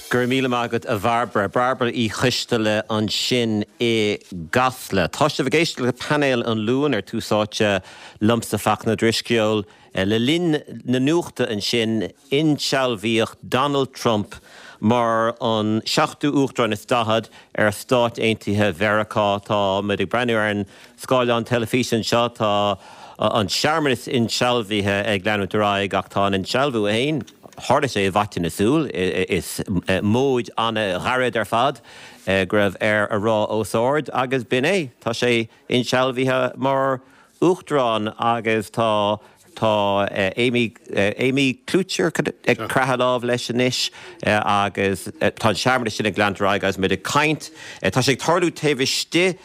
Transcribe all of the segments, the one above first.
Go raibh míle maith agat a Bhairbre. Bairbre Uí Choisteala ansin i gCasla. Tá sibh ag éisteacht le Painéal an Luain ar Tús Áite liomsa Fachtna Ó Drisceoil. Le linn na nuachta ansin, insealbhaíodh Donald Trump mar an seachtú Uachtarán is 40 ar Stáit Aontaithe Mheiriceá. Tá muid ag breathnú ar an scáileán teilifíse anseo. Tá an searmanas insealbhaithe ag leanúint ar aghaidh ach tá an insealbhú féin, tharla sé i bhfaiteadh na súl. Is móid an-ghairid ar fad go raibh air a rá os ard agus b'in é. Tá sé insealbhaithe mar Uachtarán agus tá tá Amy Amy Klobuchar ag croitheadh lámh leis anois agus tá an searmanas sin ag leanúint ar aghaidh agus muid ag caint. Tá sé ag tarlú taobh istigh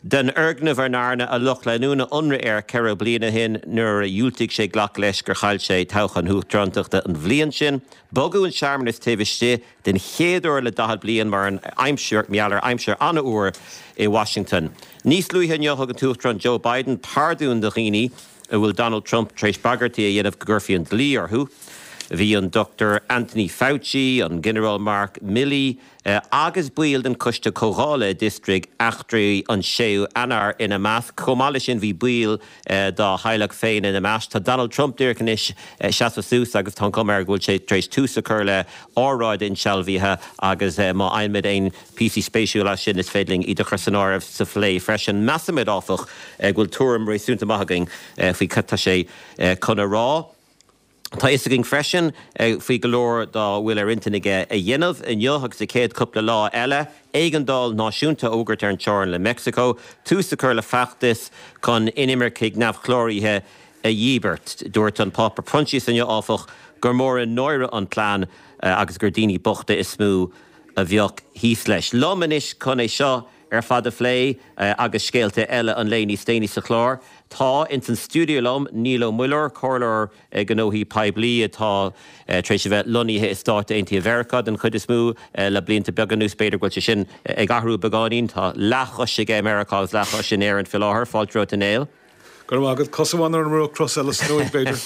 den fhoirgneamh ar ndearna a lucht leanúna ionradh air 4 bliana ó shin nuair a dhiúltaigh sé glacadh leis gur chaill sé toghchán na huachtarántachta an bhliain sin. Bogadh an searmanas taobh istigh den chéad uair le 40 bliain mar an aimsir, mar gheall ar aimsir an-fhuar i Washington. Níos luaithe inniu thug an tUachtarán Joe Biden pardún do dhaoine a bhfuil Donald Trump tar éis bagairtí a dhéanamh go gcuirfí an dlí orthu. Bhí an Dr Anthony Fauci, an Ginearál Mark Milley agus baill den Choiste Comhdhála a d'fhiosraigh eachtraí an 6ú Eanáir ina measc. Chomh maith leis sin bhí baill dá theaghlach féin ina measc. Tá Donald Trump díreach anois seasamh suas agus tá an chuma air go bhfuil sé tar éis tús a chur le óráid insealbhaithe agus má fhaighimid aon phíosaí spéisiúla as sin is féidir linn iad a chur san áireamh sa phlé freisin. Measaimid, áfach, go bhfuil tuairim réasúnta maith againn faoi cad tá sé chun a rá. Tá a fhios againn freisin faoi go leor dá bhfuil ar intinn aige a dhéanamh inniu agus sa chéad chúpla lá eile, éigeandáil náisiúnta a fhógairt ar an teorainn le Meicsiceo, tús a chur le feachtas chun inimircigh neamhchláraithe a dhíbirt. Dúirt an Pápa Proinsias inniu, áfach, gur mór an náire an plean agus gur daoine bochta is mó a bheadh thíos leis. Liom anois chun é seo ar fad a phlé agus scéalta eile an lae níos déanaí sa chlár, tá ins an stiúideo liom Niall Ó Muilleoir, comhairleoir gnóthaí poiblí atá tar éis a bheith lonnaithe i Stáit Aontaithe Mheiriceá den chuid is mó le blianta beaga anuas. B'fhéidir go bhfuil sé sin ag athrú beagáinín. Tá leathchois aige i Meiriceá agus leathchois in Éirinn faoi láthair. Fáilte romhat a Néill. Go raibh maith agat. Cos amháin ar an mbruach, cos eile san uaigh, b'fhéidir.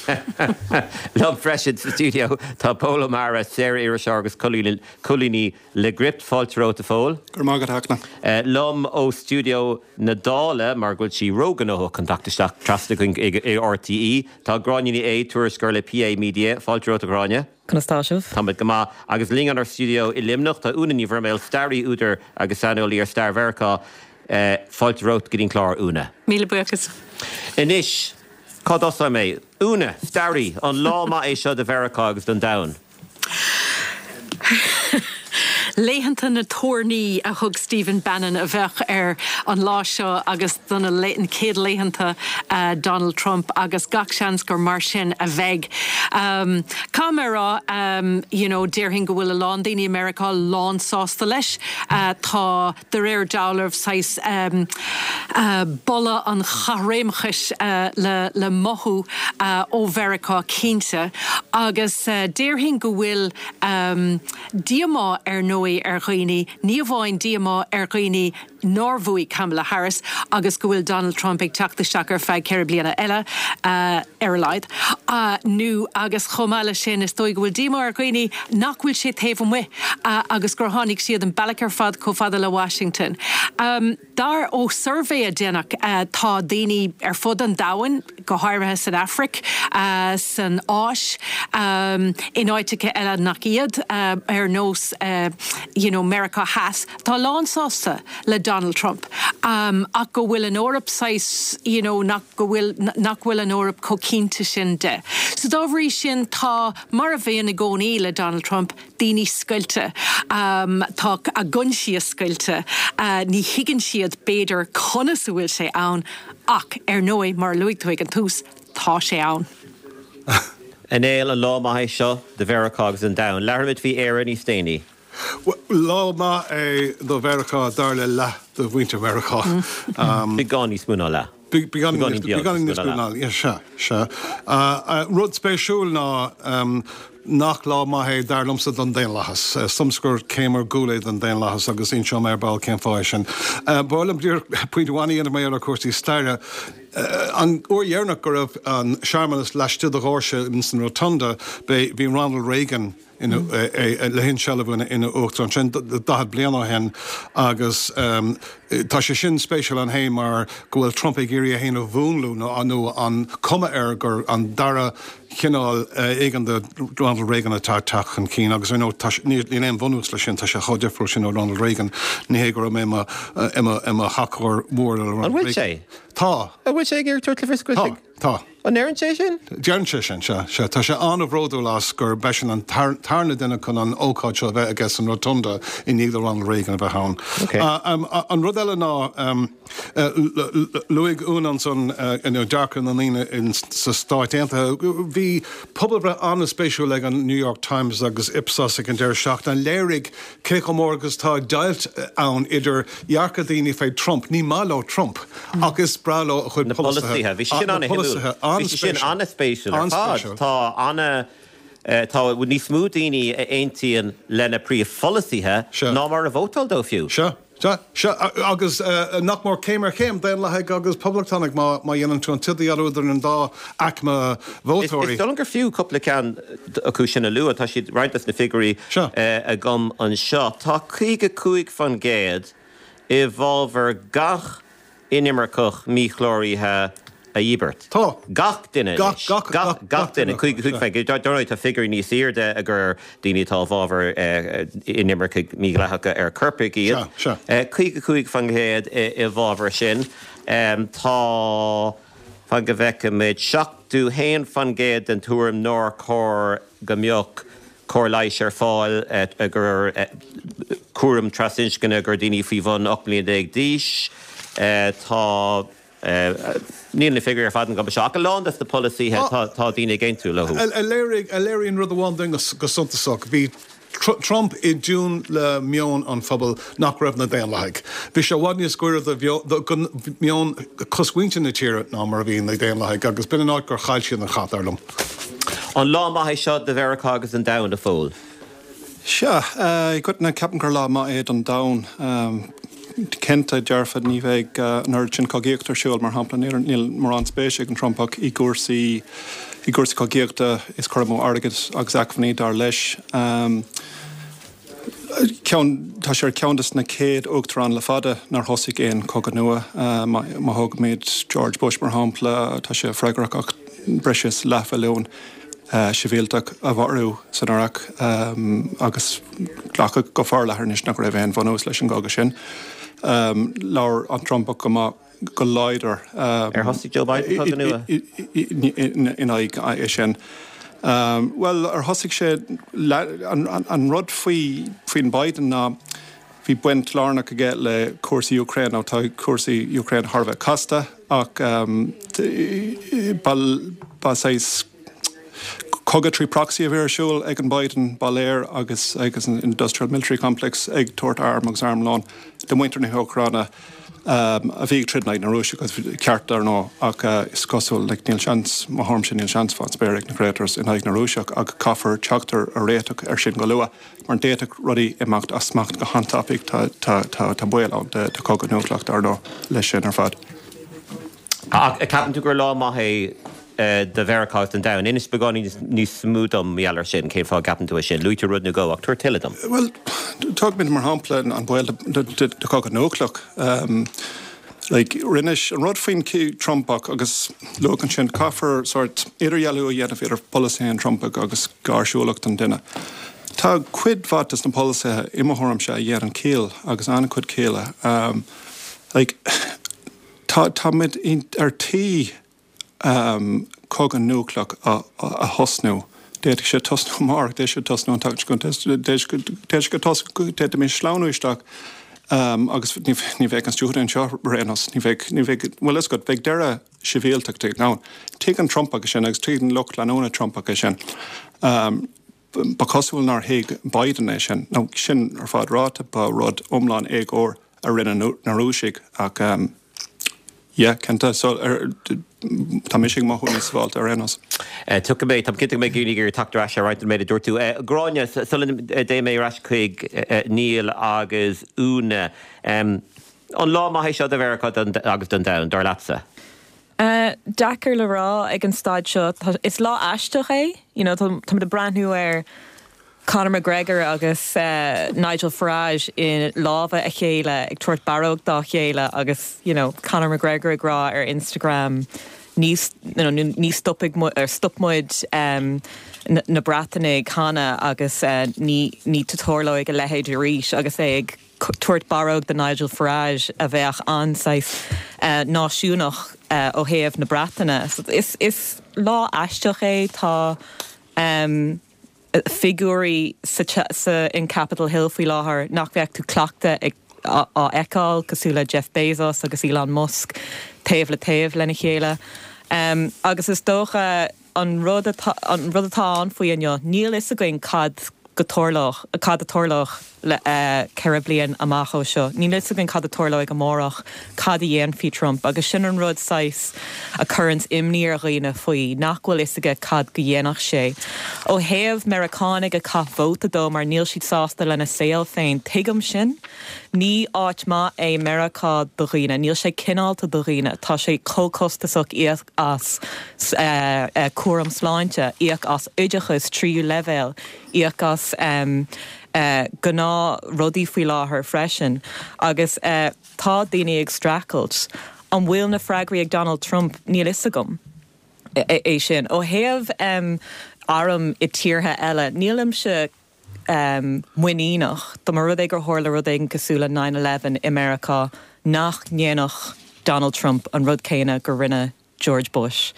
Liom freisin sa stiúideo tá Pól Ó Meára, saor-iriseoir agus colúnaí le Gript. Fáilte romhat a Phóil. Go raibh maith agat a Fhachtna. Liom ó stiúideo na Dála, mar go bhfuil sí róghnóthach chun teacht isteach trasna chuig RTÉ, tá Gráinne Ní Aodha, tuairisceoir le PA Media. Fáilte romhat a Ghráinne. Conas tá sibh? Táimid go maith. Agus linn inár stiúideo i Luimneach tá Úna Ní Bhroiméil, staraí, údar agus saineolaí ar stair Mheiriceá. Fáilte romhat go dtí an clár, Úna. Míle buíochas. Anois, cá dtosóidh mé? Úna, staraí, an lá maith é seo do Mheiriceá agus don domhan? Laethanta na toirní a thug Stephen Bannon a bheadh ar an lá seo agus do na chéad laethanta Donald Trump agus gach seans gur mar sin a bheidh. Caithfidh mé a rá, you know, déarfainn go bhfuil a lán daoine i Meiriceá lánsásta leis. Tá. de réir dealraimh, saghas boladh an chaithréimeachais le mothú ó Mheiriceá cinnte. Agus déarfainn go bhfuil díomá ar ndóigh ar dhaoine, ní amháin díomá ar dhaoine nár bhuaigh Kamala Harris agus go bhfuil Donald Trump ag teacht isteach ar feadh 4 bliana eile, ar a laghad, nó agus chomh maith leis sin is dóigh go bhfuil díomá ar dhaoine nach bhfuil sé taobh amuigh agus gur tháinig siad an bealach ar fad chomh fada le Washington. Dar ó suirbhé a déanadh tá daoine ar fud an domhain, go háirithe san Afraic, san Áis, in áiteacha eile nach iad, ar nós you know Meiriceá Theas, atá lánsásta le Donald Trump ach go bhfuil an Eoraip saghas you know nach go bhfuil nach bhfuil an Eoraip chomh cinnte sin de. So dá bhrí sin tá, mar a bhíonn i gcónaí le Donald Trump, daoine scoilte. Tá a gcoinsias scoilte. Ní thuigeann siad b'fhéidir conas a bhfuil sé ann ach ar ndóigh mar a luaigh tú ag an tús, tá sé ann. A Néill, an lá maith é seo do Mheiriceá agus don domhan. Labharfaimid faoi Éire níos déanaí. Lá maith é do Mheiriceá, dar le leath de mhuintir Mheiriceá. Beagán níos mó ná leath. Beagáinín níos mó ná leath, sea, sea. Rud spéisiúil ná nach lá maith é, dar liomsa, don daonlathas. Is dóigh liomsa gur céim ar gcúl é don daonlathas agus inseoidh mé ar ball cén fáth é sin. Ba mhaith liom díreach pointe amháin a dhéanamh mar gheall ar chúrsaí staire. An uair dheireanach go raibh an searmanas laistigh de dhoirse ins an Rotunda, bhí Ronald Reagan le hinsealbhú ina uachtarán, sin 40 bliain ó shin agus tá sé sin spéisiúil ann féin mar go bhfuil Trump ag iarraidh é féin a mhúnlú nó an cuma air gur an dara chineál éigin de Ronald Reagan atá ag teacht chun cinn agus ar ndóigh níl aon bhunús leis sin, tá sé chomh difriúil sin ó Ronald Reagan, ní hé go raibh mé i mo thacóir mór le Ronald Reagan. An bhfuil sé? Tá. An bhfuil sé ag iarraidh tabhairt le fios go bhfuil sé? Tá. Tá. An ndeireann sé sin? Deireann sé sin, sea. Sea. Tá sé an-bhródúil as gur b'eisean an tarna duine chun an ócáid seo a bheith aige san Rotunda i ndiaidh do Ronald Reagan a bheith ann. Okay. An rud eile ná, Luaigh Úna ansan dearcadh na ndaoine sna Stáit Aontaithe. Bhí pobalbhreith an-spéisiúil ag an New York Times agus Ipsos ag an deireadh seachtaine a léirigh cé chomh mór agus atá deighilt ann idir dhearcadh daoine fé Trump, ní maith leo Trump, ach is breá leo a chuid Na polasaithe. Bhí sé sin an-shuimiúil. Bhí sé sin an-spéisiúil ar fad. Tá ana, tá níos mó daoine a aontaíonn lena phríomhpholasaithe ná mar a vótáil dó fiú. Sea. Sea, sea, agus nach mór céim ar chéim, Daonlathaigh agus Poblachtánaigh, má dhéanann tú an t-idirdhealú idir an dá aicme vótóirí. Is dóigh liom gur fiú cúpla ceann acu sin a lua. Tá siad, roinnt des na figiúirí agam anseo. Tá 55% i bhfabhar gach inimirceach míchláraithe a dhíbirt. Tá. Gach duine anois. Gach, gach, gach duine. 55%. Dar ndóigh, tá figiúirí níos airde gur daoine atá i bhfabhar inimircigh mídhleathacha ar coirpigh iad. Sea, sea. 55% i bhfabhar sin. Tá, fan go bhfeicfimid, 71% den tuairim nár chóir go mbeadh cóir leighis ar fáil gur cúram trasinscne gur daoine faoi bhun 18 mbliana d'aois. Tá, níl na figiúirí ar fad agam anseo, ach a lán des na polasaithe tá daoine ag aontú leo. A léiríonn rud amháin dúinn go suntasach, bhí Trump i dtiún le meon an phobail nach raibh na Daonlathaigh. Bhí sé i bhfad níos gaire do mheon cosmhuintir na tíre ná mar a bhí na Daonlathaigh agus b'in an áit gur chaill siad an chath, dar liom. An lá maith é seo do Mheiriceá agus don domhan, a Phóil? Sea, i gcoitinne ceapaim gur lá maith é don domhan. Cinnte, dearfa, ní bheidh an oiread sin cogaíochta ar siúl, mar shampla, níl mórán spéise ag an Trumpach i gcúrsaí i gcúrsaí cogaíochta, is cur amú airgid agus acmhainní, dar leis. Ceann, tá sé ar cheann de na chéad uachtaráin le fada nár thosaigh aon chogadh nua. Má thógaimid George Bush mar shampla, tá sé freagrach as breis is leathmhilliún sibhialtach a mharú san Iaráic agus glacadh go forleathan anois nach raibh aon bhunús leis an gcogadh sin. Labhair an Trumpach go maith. go láidir. Ar thosaigh Joe Biden cogadh nua? In aghaidh é sin. Bhuel, ar thosaigh sé, an rud faoi faoin Biden ná bhí baint lárnach aige le cúrsaí Ukraine. Now tá cúrsaí Ukraine thar a bheith casta ach ba ba saghas cogadh trí proxy a bhí ar siúl ag an Biden, ba léir, agus agus an industrial military complex ag tabhairt arm agus armlón do mhuintir na hÚcráine. a bhí ag troid in aghaidh na Rúise, agus ceart dar ndóigh, ach is cosúil, like, níl seans, mo thuairimse, níl seans fán spéir ag na Traitors in aghaidh na Rúiseach ach caithfear teacht ar réiteach ar sin go luath, mar d'fhéadfadh rudaí imeacht as smacht go han-tapaidh, tá, tá, tá, tá baol ann de, de chogadh núicléach dar ndóigh leis sin ar fad. Ach ceapann tú gur lá maith é do Mheiriceá agus don domhan? Inis beagáinín níos mó dom mar gheall air sin, cén fáth a gceapann tú é sin? Luaigh tú rud nó dhó, ach tabhair tuilleadh dom. Bhuel, tógfaimid mar shampla an baol de chogadh núicléach. Like, rinne, an rud faoin Trumpach agus luadh ansin, caithfear sórt idirdhealú a dhéanamh idir polasaithe an Trumpaigh agus gáirsiúlacht an duine. Tá cuid mhaith de na polasaithe, i mo thuairimse, a dhéanann ciall agus an-chuid cialla. Like, Tá, táimid ar tí cogadh núicléach a thosnú. D'fhéadfadh sé tosnú amárach, d'fhéadfadh sé tosnú an tseachtain seo chugainn, d'fhéadfadh sé tosnú, d'fhéadfaimis sleamhnú isteach agus ní bheadh an stiúideo anseo ar aon nós, ní bheadh, ní bheadh, bhfuil a fhios agat, bheadh deireadh sibhialtachta ann. Tuigeann Trumpach é sin agus tuigeann lucht leanúna Trumpach é sin. Ba chosúil nár thuig Biden é sin. Nó sin ar fad ráite, ba rud iomlán éagóir a rinne na Rúisigh ach yeah, cinnte. So, tá mise ag mothú níos sábháilte ar aon nós. Tiocfaidh mé, táim cinnte go mbeidh daoine ag iarraidh teacht ar ais ar roinnt den méid a dúirt tú. Gráinne, sula dté mé ar ais chuig Niall agus Úna, an lá maith é seo do Mheiriceá agus don domhan, dar leatsa? Deacair le rá ag an staid seo. Is lá aisteach é. You know, táimid ag breathnú ar Conor McGregor agus Nigel Farage i lámha a chéile ag tabhairt barróg dá chéile agus, you know, Conor McGregor ag rá ar Instagram ní, you know, ní stopfaidh muid, or stop muid na Breatanaigh cheana agus ní, ní tarlóidh a leithéid arís agus é ag tabhairt barróg do Nigel Farage a bheadh an-saghas náisiúnach ó thaobh na Breataine. Is lá aisteach é. Tá figiúirí sa in Capitol Hill faoi láthair nach mbeadh tú cleachta ag á fheiceáil, cosúil le Jeff Bezos agus Elon Musk taobh le taobh lena chéile. Agus is dócha An rud atá, an rud atá ann faoi inniu, níl fhios againn cad go tarlódh, cad a tarlódh le 4 bliain amach ó seo. Níl fhios againn cad a tarlóidh amárach, cad a dhéanfaidh Trump agus sin an rud saghas a cuireanns imní ar dhaoine faoi, nach bhfuil fhios aige cad go dhéanfadh sé. Ó thaobh Meiriceánaigh a chaith vóta dó mar níl siad sásta lena saol féin, tuigim sin. Ní áit maith é Meiriceá do dhaoine. Níl sé cineálta do dhaoine. Tá sé chomh costasach íoc as cúram sláinte, íoc as oideachas tríú leibhéal, íoc as gnáth rudaí faoi láthair freisin. Agus tá daoine ag streachailt. An bhfuil na freagraí ag Donald Trump? Níl fhios agam é sin. Ó thaobh airm i tíortha eile, nílimse muiníneach, dá mba rud é gur tharla rud éigin cosúil le nine eleven i Meiriceá, nach ndéanfadh Donald Trump an rud céanna gur rinne George Bush.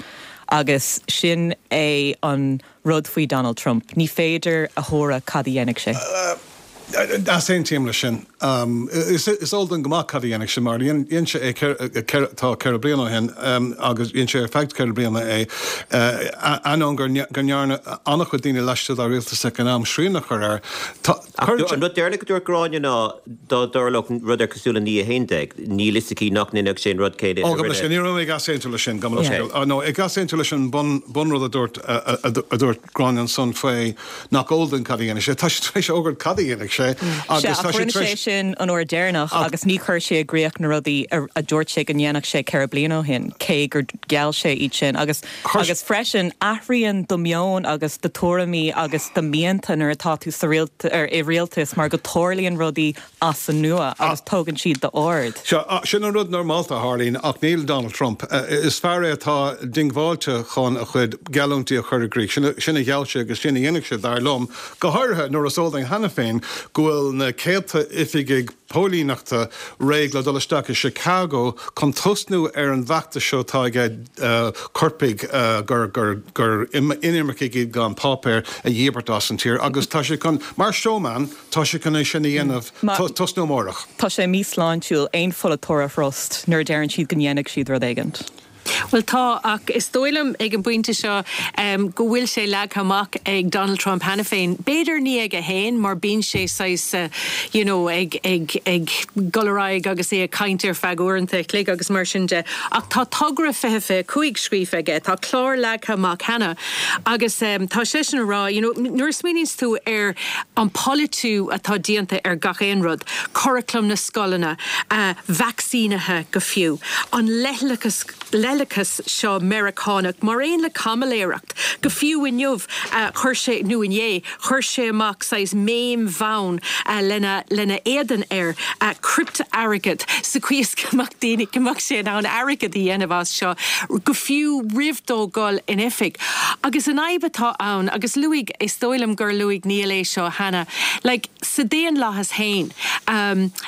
Agus sin é an rud faoi Donald Trump, ní féidir a thuaradh cad a dhéanfaidh sé. Easaontaím leis sin. Is eol dúinn go maith cad a dhéanfaidh sé mar dhein sé é tá 4 bliana ó shin agus dhein sé ar feadh 4 bliana é, ainneoin go ndearna an-chuid daoine laistigh dá rialtas ag an am srian a chur air. Ach an rud deireanach a dúirt Gráinne ná dá dtarlódh rud ar cosúil le 9/11, níl fhios aici nach ndéanfadh sé an rud céanna a rinne. Ní raibh mé ag easaontú leis sin, gabh mo leithscéal. Nó ag easaontú leis an bunrud a dúirt Gráinne ansan faoi nach eol dúinn cad a dhéanfaidh sé. Tá sé tar éis fhógairt cad a dhéanfaidh sé agus tá sé tar éis. Sea, ach rinne sé sin an uair deireanach agus ní chuir sé i gcrích na rudaí a dúirt sé go ndéanfadh sé 4 bliana ó shin, cé gur gheall sé iad sin. Agus, agus freisin, athraíonn do mheon agus do tuairimí agus do mhianta nuair atá tú sa i rialtas mar go tarlaíonn rudaí as an nua agus tógann siad d'aird. Sea, sin an rud normálta a tharlaíonn ach níl Donald Trump. Is fear é atá diongbháilte chun a chuid geallúintí a chur i gcrích. Sin a gheall sé agus sin a dhéanfaidh sé, dar liom, go háirithe nuair is eol dúinn cheana féin go bhfuil na céadta oifigigh póilíneachta réidh le dul isteach i Chicago chun tosnú ar an bhfeachtas seo atá aige coirpigh gur inimircigh iad gan páipéir a dhíbirt as an tír agus tá sé chun, mar showman, Tá sé chun é sin a dhéanamh tosnú amárach. Tá sé míshláintiúil aon pholaiteoir a thrust nuair a deireann siad go ndéanfaidh siad rud éigint. Bhuel tá, ach is dóigh liom ag an bpointe seo go bhfuil sé leagtha amach ag Donald Trump cheana féin. B'fhéidir ní aige féin mar bíonn sé saghas you know ag ag ag dul ar aghaidh agus é ag caint ar feadh uaireanta a chloig agus mar sin de ach tá togra 2025 scríofa aige, tá clár leagtha amach cheana agus tá seisean ag rá you know nuair a smaoiníonns tú ar an polaitiú atá déanta ar gach aon rud, curaclam na scoileanna, vacsaínithe go fiú, an leithleachas, leithleachas seo Meiriceánach, mar aon le caimiléireacht. Go fiú inniu, chuir sé, nó inné, chuir sé amach saghas meme bhonn lena, lena éadan air, criptea-airgead, sa chaoi is go mbeadh daoine, go mbeadh sé in ann airgead a dhéanamh as seo, go fiú roimh dó dhul in oifig. Agus an fhadhb atá ann, agus luaigh, is dóigh liom gur luaigh Niall é seo cheana, like, sa daonlathas féin,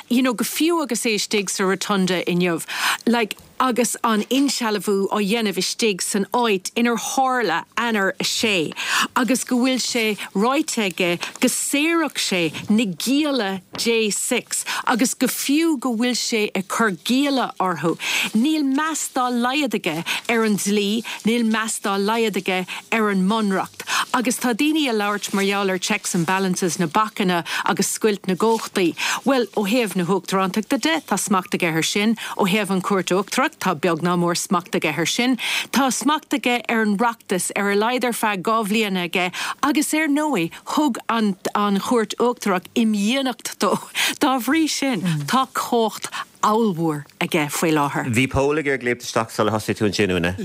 you know, go fiú agus é istigh sa Rotunda inniu, like, agus an insealbhú á dhéanamh istigh san áit inar tharla Eanáir 6 agus go bhfuil sé ráite aige go saorfadh sé na gialla J6 agus go fiú go bhfuil sé ag cur gialla orthu. Níl meas dá laghad aige ar an dlí, níl meas dá laghad aige ar an mbunreacht. Agus tá daoine ag labhairt mar gheall ar checks and balances, na bacanna agus scoilt na gcumhachtaí. Bhuel, ó thaobh na huachtarántachta de, tá smacht aige air sin. Ó thaobh an Chúirt Uachtarach, tá beag ná mór smacht aige air sin. Tá smacht aige ar an Oireachtas, ar a laghad ar feadh 2 bhliana aige, agus ar ndóigh, thug an an Chúirt Uachtarach imdhíonacht dó. Dá bhrí sin, tá cumhacht. ollmhór aige faoi láthair. Bhí Pól ag iarraidh léimt isteach sular thosaigh tú ansin, Úna.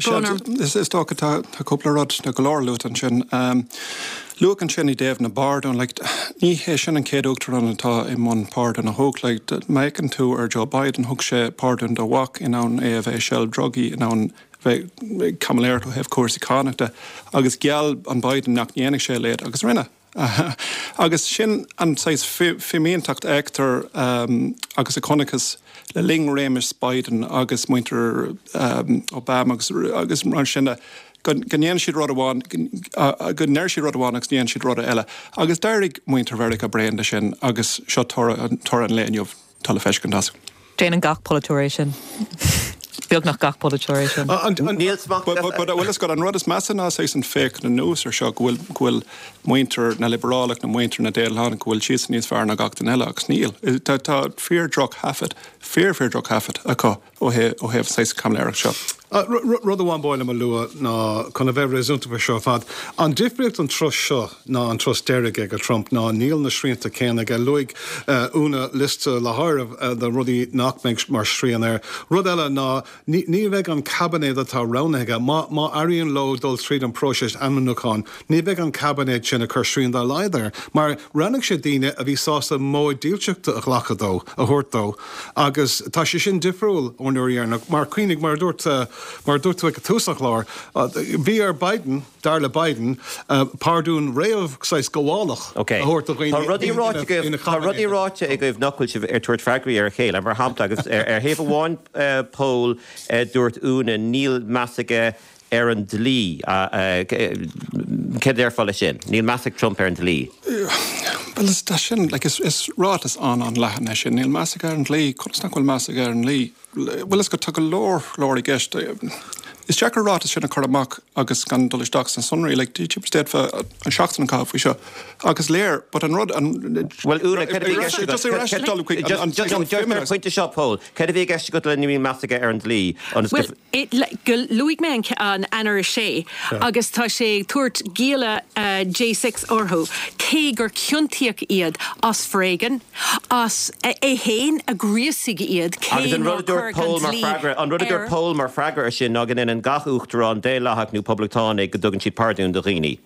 Is dócha tá cúpla rud, nó go leor luaite ansin. Luadh ansin i dtaobh na bpardún, like, ní hé sin an chéad uachtarán atá i mbun pardún a thabhairt. Like, má fhéachann tú ar Joe Biden, thug sé pardún dá mhac in ainneoin é a bheith i seilbh drugaí, in ainneoin bheith ag caimiléireacht ó thaobh cúrsaí cánach de, agus gheall an Biden nach ndéanfadh sé a leithéid, agus rinne. Agus sin an saghas fimínteacht a fheictear agus a chonacthas le linn réimeas Biden agus muintir Obama agus mar sin de, go ndéanann siad rud amháin, go ndeir siad rud amháin agus déanann siad rud eile. Agus d'éirigh muintir Mheiriceá bréan de sin agus seo toradh an lae inniu. Tá le feiscint as. Déanann gach polaiteoir é sin. Beagnach gach polaiteoir é sin. Níl smacht But bhfuil fhios agat, an rud is measa ná saghas an féachaint anuas ar seo, go bhfuil, go bhfuil muintir na liobrálach nó muintir na Daonlathach, go bhfuil siadsan níos fearr ná gach duine eile, agus níl. Tá, tá fíor droch-thaifead, fíor, fíor droch-thaifead acu. ó thaobh saghas caimiléireacht seo. Rud amháin ba mhaith liom a lua ná, chun a bheith réasúnta faoi seo ar fad, an difríocht an turas seo ná an turas deiridh ag Trump ná níl na srianta céanna aige. Luaigh Úna liosta le háireamh de rudaí nach mbeidh mar shrian air. Rud eile ná ní bheidh an caibinéad atá roghnaithe aige, má éiríonn leo dul tríd an próiseas ainmniúcháin, ní bheidh an caibinéad sin ag cur srian dá laghad air mar roghnaigh sé daoine a bhí sásta móid dílseachta a ghlacadh dó, a thabhairt dó. Agus tá sé sin difriúil ón uair dheireanach, mar cuimhnigh, mar a dúirt, mar a dúirt tú ag tús an chláir, bhí ar Biden, dar le Biden, pardún réamh, saghas gabhálach a thabhairt do dhaoine Tá rudaí ráite agaibh, tá rudaí ráite agaibh nach bhfuil sibh ag tabhairt freagraí ar a chéile. Mar shampla, agus ar thaobh amháin, Pól, dúirt Úna, níl meas aige ar an dlí. Céard a déarfá leis sin? Níl meas ag Trump ar an dlí. Bhuel, is tá sin, like, is, is ráiteas an-an-leathan é sin. Níl meas aige ar an dlí. Conas nach bhfuil meas aige ar an dlí? Bhuel, is go, tá go leor, leor i gceist. Is deacair ráiteas sin a chur amach agus gan dul isteach sna sonraí. Like, d'fhéadfá an seachtain a chaitheamh faoi seo. Ach is léir, but an rud, an, Bhuel, Úna, céard a bhí i gceist agat? Just, just, just ar an phointe seo, Pól, céard a bhí i gceist agat le níl meas aige ar an dlí? Ionas go. Bhuel, go luaigh mé an Eanáir 6 agus tá sé ag tabhairt gialla J6 orthu cé gur ciontaíodh iad as foréigean, as é féin a ghríosaigh iad cé Agus an rud nár a dúirt cuireadh an Pól mar dlí freagra, an rud a dúirt air. Pól mar freagra ar sin ná go ndéanann gach uachtarán, Daonlathach nó Poblachtánaigh, go dtugann siad pardún do dhaoine.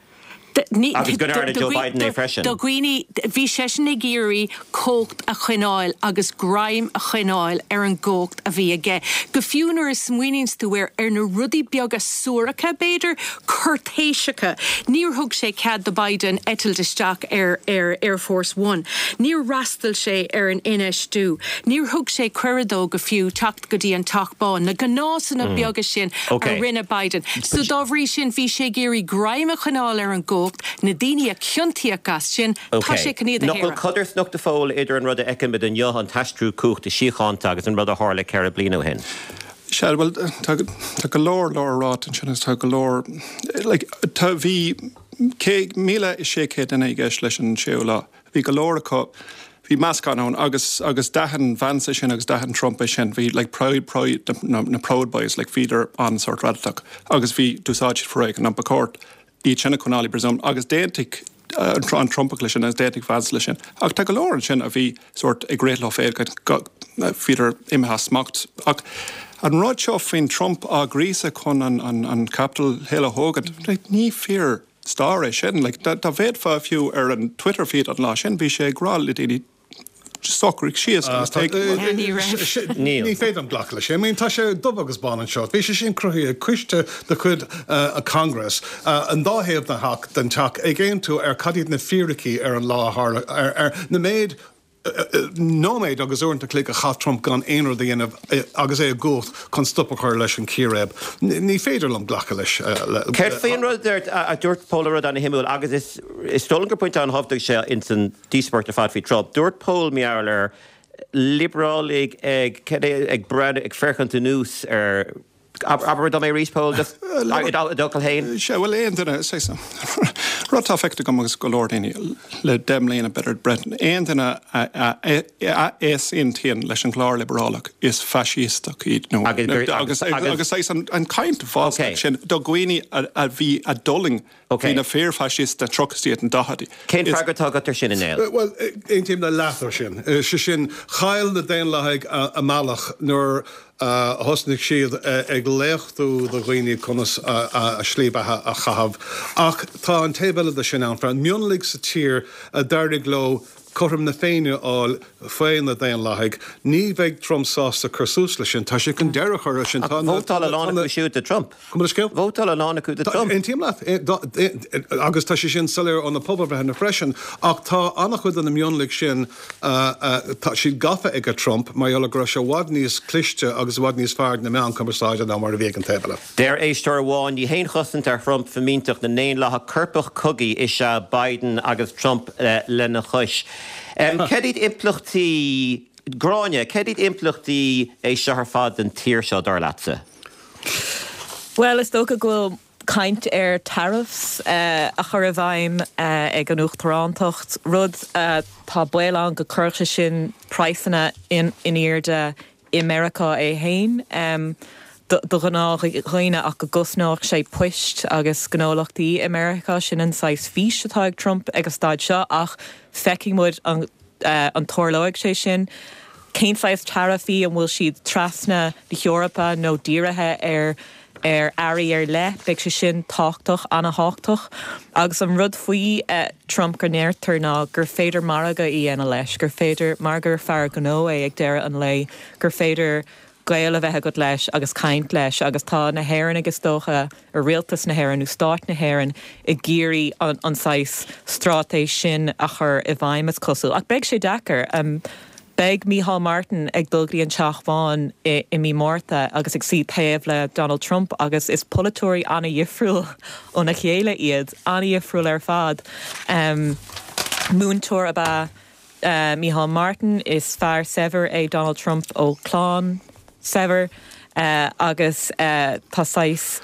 Agus go ndearna Joe Biden é freisin. Do dhaoine, bhí seisean ag iarraidh cumhacht a choinneáil agus greim a choinneáil ar an gcumhacht a bhí aige. Go fiú nuair a smaoiníonns tú air, ar na rudaí beaga suaracha, b'fhéidir, cúirtéiseacha, níor thug sé cead do Biden eitilt isteach ar ar Air Force One. Níor fhreastail sé ar an infheistiú. Níor thug sé cuireadh dó go fiú teacht go dtí an Teach Bán, na gnásanna beaga sin a rinne Biden. So dá bhrí sin, bhí sé ag iarraidh greim a choinneáil ar an gcumhacht, na daoine a ciontaíodh as sin, tá sé chun iad a Nach bhfuil shaoradh. codarsnacht go fóill idir an rud a fheicimid inniu, an t-aistriú cumhachta síochánta, agus an rud a tharla 4 bliana ó shin? Sea, bhuel, tá tá go leor leor ráite ansin agus tá go leor, like, tá, bhí 1,600 duine i gceist leis an séú lá. Bhí go leor acu, bhí meascán ann agus agus d'aithin Vance é sin agus d'aithin Trump é sin. Bhí like proud proud na na Proud Boys like bhíodar an-sórt radacach agus bhí d'úsáid siad foréigean ach ba chóir iad sin a choinneáil i bpríosún agus d'aontaigh an Trumpach leis sin agus d'aontaigh Vance leis sin. Ach tá go leor ansin a bhí sórt ag rith leo féin go bhíodar imithe as smacht. Ach an rud seo faoin Trump á ghríosadh chun an an an Capitol Hill a thógaint, like ní fíor. Stair é sin. Like, dá bhféachfá fiú ar an Twitter feed an lá sin, bhí sé ag rá le daoine socraigh síos agus téigh. Ní raibh. Ní féidir liom glacadh leis sin. I mean, tá sé dubh agus bán anseo. Bhí sé sin cruthaithe ag coiste de chuid an Congress, an dá thaobh den theach, den teach, ag aontú ar cad iad na fíricí ar an lá a tharla, ar, ar na méid nóiméad agus uaireanta an chloig a chaith Trump gan aon rud a dhéanamh agus é i gcumhacht chun stop a chur leis an círéib. Ní féidir liom glacadh leis. Céard faoin rud a dúirt Pól, rud ana-shuimiúil agus is is dóigh liom gur pointe an-thábhachtach é ins an díospóireacht ar fad faoi Trump. Dúirt Pól mar gheall ar liobrálaigh ag ag breathnú ag féachaint anuas ar Abair dom é arís, Pól, just i d'fhocail féin. Sea, bhuel, aon duine, saghas, Rud atá feicthe agam agus go leor daoine le 10 mbliana b'fhéidir breis, aon duine a easaontaíonn leis an gclár liobrálach is faisísteach iad nó agus agus saghas an chaint bhalsach sin do dhaoine a bhí a d'fhulaing faoi na fíorfhaisist sna tríochaidí agus na daichidí. Cén freagra atá agat ar sin, a Néill? Bhuel, aontaím le leath de sin. Sé sin, chaill na Daonlathaigh a mbealach nuair a thosnaigh siad ag léachtú do dhaoine conas a slí beatha a chaitheamh. Ach tá an taobh eile de sin ann, freisin. Mionlaigh sa tír a d'éirigh leo cothrom na Féinne a fháil faoi na Daonlathaigh, ní bheidh Trump sásta cur suas leis sin. Tá sé chun deireadh a chur leis sin. Ach vótáil a lán acu siúd do Trump. Gabh mo leithscéal? Vótáil a lán acu do Trump. Aontaím leat. Agus tá sé sin soiléir ó na pobalbhreitheanna freisin. Ach tá an-chuid de na mionlaigh sin, tá siad gafa ag Trump mar gheall ar go raibh sé i bhfad níos cliste agus i bhfad níos fearr ag na meáin cumarsáide ná mar a bhí ag an taobh eile. Deir éisteoir amháin, ní haon chosaint ar Thrump fimínteacht na nDaonlathach coirpeach cogaidh is ea Biden agus Trump lena chois. Cad iad impleachtaí, Gráinne, cad iad impleachtaí é seo ar fad don tír seo, dar leatsa? Bhuel, is dócha go bhfuil caint ar tariffs a chur i bhfeidhm ag an Uachtarántacht, rud tá baol ann go gcuirfeadh sé sin praghsanna in airde i Meiriceá é féin do ghnáthdhaoine ach go gcosnódh sé poist agus gnólachtaí i Meiriceá. Sin an saghas fís atá ag Trump ag an staid seo ach feicfidh muid an an dtarlóidh sé sin. Cén saghas taraifí, an bhfuil siad trasna na hEorpa nó dírithe ar ar earraí ar leith? Beidh sé sin tábhachtach, ana-thábhachtach. Agus an rud faoi Trump go ndeirtear ná gur féidir margadh a dhéanamh leis, gur féidir, mar gur fear gnó é ag deireadh an lae, gur féidir gaol a bheith agat leis agus caint leis agus tá na hÉireannaigh is dócha, rialtas na hÉireann nó Stát na hÉireann ag iarraidh an saghas straitéis sin a chur i bhfeidhm is cosúil. Ach beidh sé deacair. Beidh Micheál Martin ag dul go dtí an Teach Bán i mí Márta agus ag suí taobh le Donald Trump agus is polaiteoirí an-dhifriúil óna chéile iad, an-dhifriúil ar fad. Múinteoir ab ea Micheál Martin, Is fear saibhir é Donald Trump ó chlann saibhir agus tá saghas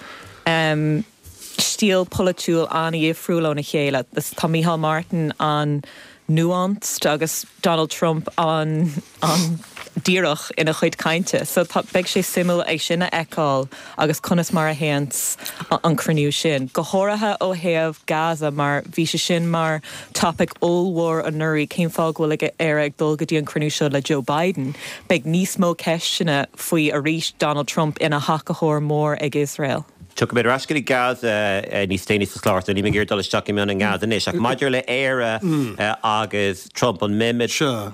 stíl polaitiúil an-dhifriúil óna chéile. Tá Micheál Martin an-nuanced agus Donald Trump an-díreach ina chuid cainte. So tá, beidh sé suimiúil é sin a fheiceáil agus conas mar a théanns an cruinniú sin. Go háirithe ó thaobh Gaza mar bhí sé sin mar topaic ollmhór anuraidh, cén fáth go bhfuil Éire ag dul go dtí an cruinniú seo le Joe Biden? Beidh níos mó ceisteanna faoi arís Donald Trump ina thacaitheoir mór ag Iosrael. Tiocfaimid ar ais go dtí Gaza níos déanaí sa chlár so níl mé ag iarraidh dul isteach i mion i nGaza anois ach maidir le Éire agus Trump, an mbeimid,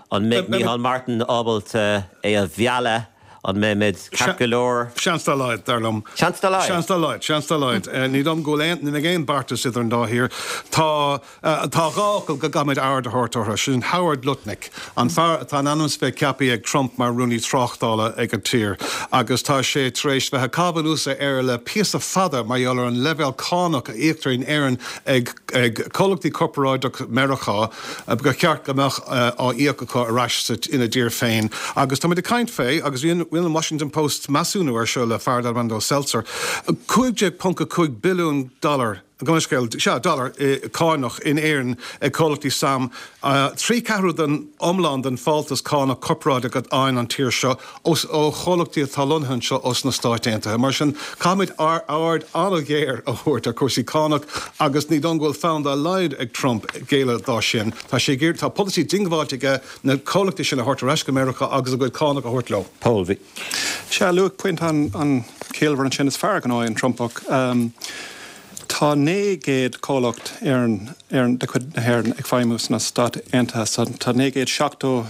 an mbeidh Micheál Martin ábalta é a mhealladh? An mbeimid ceart go leor? Seans dá laghad, dar liom. Seans dá laghad? Seans dá laghad, seans dá laghad. Ní dóigh liom go bhfuil aon, ní bheidh aon beartas idir an dá thír. Tá, tá dhá fhocal go gcaithfimid aird a thabhairt orthu, sin Howard Lutnick, an fear atá in ainm is bheith ceaptha ag Trump mar Rúnaí Tráchtála ag an tír agus tá sé tar éis bheith ag caitheamh anuas ar Éire le píosa fada mar gheall ar an leibhéal cánach a íoctar in Éirinn ag ag comhlachtaí corparáideach Meiriceá. Ba cheart go mbeadh á íoc acu ar ais ina dtír féin. Agus táimid ag caint fé, agus rinne an Washington Post measúnú air seo le fear darb ainm dó Seltzer, 15.5 billiún dollar, gabh mo leithscéal, sea, dollar, cánach in Éirinn ag comhlachtaí sam, 3 ceathrú den iomlán den fáltas cánach corparáideach a fhaigheann an tír seo. ó chomhlachtaí atá lonnaithe anseo ós na Stáit Aontaithe. Mar sin, caithfimid aird an-ghéar a thabhairt ar chúrsaí cánach agus ní dóigh liom go bhfuil fonn dá laghad ag Trump géilleadh dá sin. Tá sé ag iarraidh, tá polasaí diongbháilte aige na comhlachtaí sin a thabhairt ar ais go Meiriceá agus a gcuid cánach a thabhairt leo. Pól, bhí. Sea, luaigh pointe an-chiallmhar ansin. Is fear gnó é an Trumpach. Tá 900 comhlacht Éireann, de chuid na hÉireann ag feidhmiú sna Stáit Aontaithe. So tá 970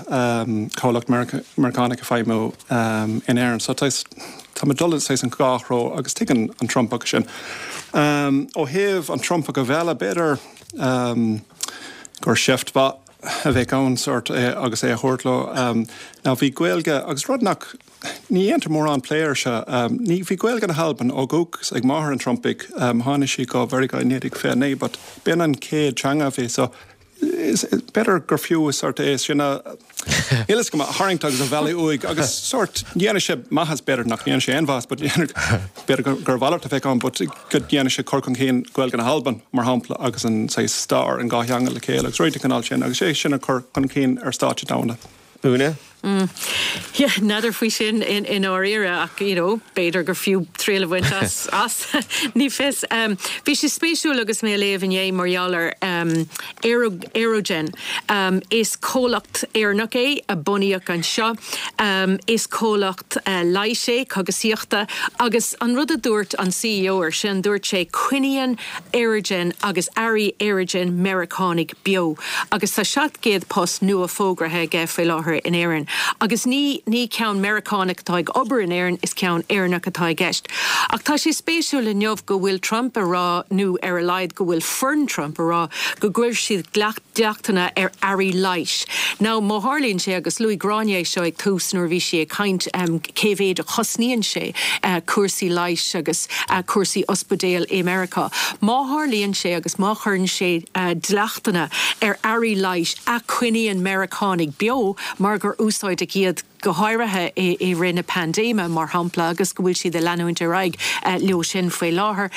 comhlacht Meiriceánach ag feidhmiú in Éirinn. So tá muid ag dul saghas an dhá threo agus tuigeann an Trumpach sin. Ó thaobh an Trumpach a mhealladh, b'fhéidir gur seift mhaith a bheadh ann sórt agus é a thabhairt leo. Now bhí Gaeilge agus rud nach. Ní dhéantar mórán plé air seo. Ní, bhí Gaeilge na hAlban ó dhúchas ag máthair an Trumpaigh. Tháinig sí go Mheiriceá i 1929 but b'in an chéad teanga a bhí so is, b'fhéidir gur fiú sórt é sin a. Níl fhios agam, a tharraingt agus a mhealladh uaidh agus sórt, dhéanadh sé maitheas, b'fhéidir nach ndéanadh sé aon mhaitheas but b'fhéidir gur mhalairt a bheadh ann but go ndéanadh sé cur chun cinn Gaeilge na hAlban mar shampla agus an saghas stair an dhá theanga le chéile agus rudaí den chineál sin agus é sin a chur chun cinn ar stáitse domhanda. Úna? Yeah, n'fheadar faoi sin i ndáiríre ach, you know, b'fhéidir gur fiú triail a bhaint as, as, ní fios. Bhí sé spéisiúil agus mé a léamh inné mar gheall ar Aerogen. Is comhlacht Éireannach é a bunaíodh anseo. Is comhlacht leighis é, cogasaíochta, agus an rud a dúirt an CEO air sin, dúirt sé, coinníonn Aerogen agus earraí Aerogen Meiriceánaigh beo agus tá 700 post nua fógraithe aige faoi láthair in Éirinn. Agus ní ní ceann Meiriceánach atá ag obair in Éirinn, is ceann Éireannach atá i gceist. Ach tá sé spéisiúil inniu go bhfuil Trump a rá, nó ar a laghad go bhfuil foireann Trump a rá, go gcuirfidh siad dleachtanna ar earraí leighis. Now má tharlaíonn sé, agus luaigh Gráinne é seo ag tús nuair a bhí sí ag caint, cé mhéid a chosnaíonn sé cúrsaí leighis agus cúrsaí ospidéal i Meiriceá. Má tharlaíonn sé agus má chuireann sé dleachtanna ar earraí leighis a choinníonn Meiriceánaigh beo mar gur úsáideadh iad go háirithe i rith na paindéime, mar shampla, agus go bhfuil siad ag leanúint ar aghaidh leo sin faoi láthair,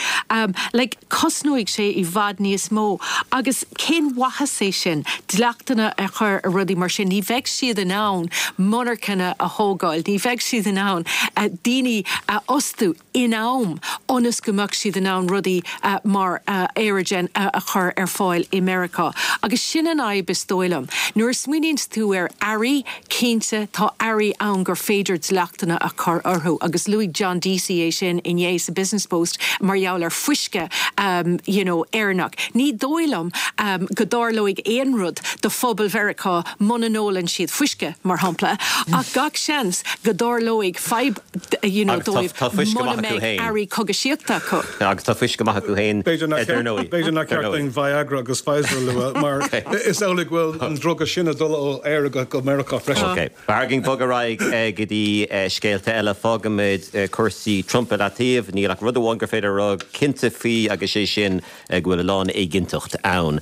like, cosnóidh sé i bhfad níos mó. Agus cén mhaitheas é sin, dleachtanna a chur ar rudaí mar sin? Ní bheidh siad in ann monarchana a thógáil, ní bheidh siad in ann daoine a fhostú in am ionas go mbeadh siad in ann rudaí mar Aerogen a chur ar fáil i Meiriceá. Agus sin an fhadhb is dóigh liom. Nuair a smaoiníonns tú ar earraí, cinnte, tá earraí ann gur féidir dleachtanna a chur orthu agus luaigh John Deasy é sin inné sa Business Post mar gheall ar fuisce you know Éireannach. Ní dóigh liom go dtarlóidh aon rud do phobal Mheiriceá muna n-ólann siad fuisce, mar shampla, ach gach seans go dtarlóidh fadhb you know dóibh muna mbeidh earraí cogaisíochta acu. Agus tá fuisce maith acu féin, dar ndóigh. B'fhéidir nach ceart dúinn Viagra agus Pfizer a lua mar is amhlaidh go bhfuil an druga sin ag dul ó Éire go Meiriceá freisin. Ok. B'fhearr dúinn bogadh ar aghaidh go dtí scéalta eile. Fágfaimid cúrsaí Trump i leataobh. Níl ach rud amháin gur féidir a rá cinnte faoi agus sé sin go bhfuil a lán éiginnteacht ann.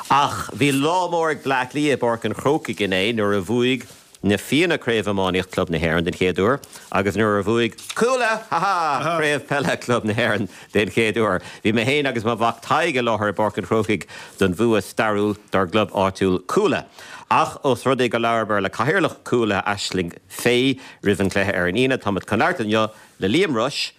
Ach bhí lá mór ag Bleá Cliath i bPáirc an Chrócaigh inné nuair a bhuaigh Na Fianna Craobh Iománaíocht Club na hÉireann den chéad uair agus nuair a bhuaigh Cuala, ha ha, Craobh Peile Club na hÉireann den chéad uair. Bhí mé féin agus mo mhac Tadhg i láthair i bPáirc an Chrócaigh don bhua stairiúil dár gclub áitiúil Cuala. Ach ós rud é gur labhramar le Cathaoirleach Cuala, Aisling Fay, roimh an gcluiche ar an Aoine, táimid chun labhairt inniu le Liam Rushe,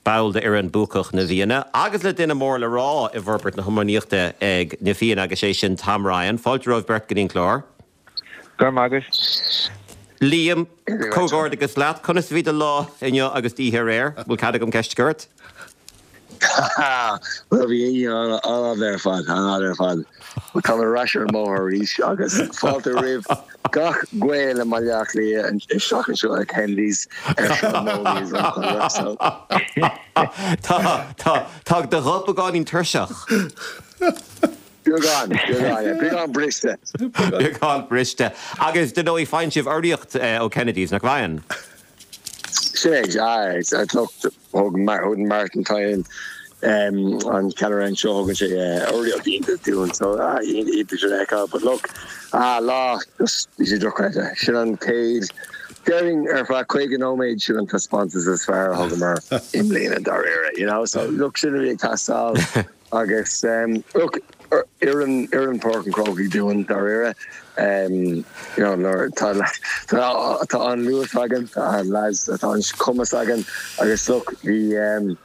ball d'fhoireann buacach na bhFianna, agus le duine mór le rá i bhforbairt na hiománaíochta ag na Fianna agus é sin Tom Ryan. Fáilte romhaibh beirt go dtí an clár. Go raibh maith agat. Liam, comhghairdeachas leat. Conas a bhí do lá inniu agus d'oíche aréir? Bhfuil cead agam ceist a chur ort? Bhuel, bhí oíche an-fhada ar fad, an-fhada ar fad. Táim ar ais ar an mbóthar arís agus fáilte roimh gach Gael i mBaile Átha Cliath isteach anseo ag Kennedy's ar Sráid Moloney's an Chonradh so. Tá, tá, tá do ghuth beagáinín tuirseach. Beagán, beagán, yeah. Beagán briste. Beagán briste. Agus dar ndóigh, faigheann sibh urraíocht ó Kennedy's, nach bhfaigheann? Sin é, aye. Look, thug Martin Tynan, an ceannaire anseo, thugann sé urraíocht iontach dúinn, so iontach sin a fheiceáil. But look, ah, lá, just, bhí sé dochreidte. Sin an chéad, déarfainn ar feadh 50 nóiméad, sin an taispeántas is fearr a thugamar i mbliana, dáiríre, you know. So look, sin a bhí ag teastáil. Agus look, oireann, oireann Páirc an Chrócaigh dúinn, dáiríre. You know, nuair tá, tá, tá an luas againn, tá an lads, tá an cumas againn agus look, bhí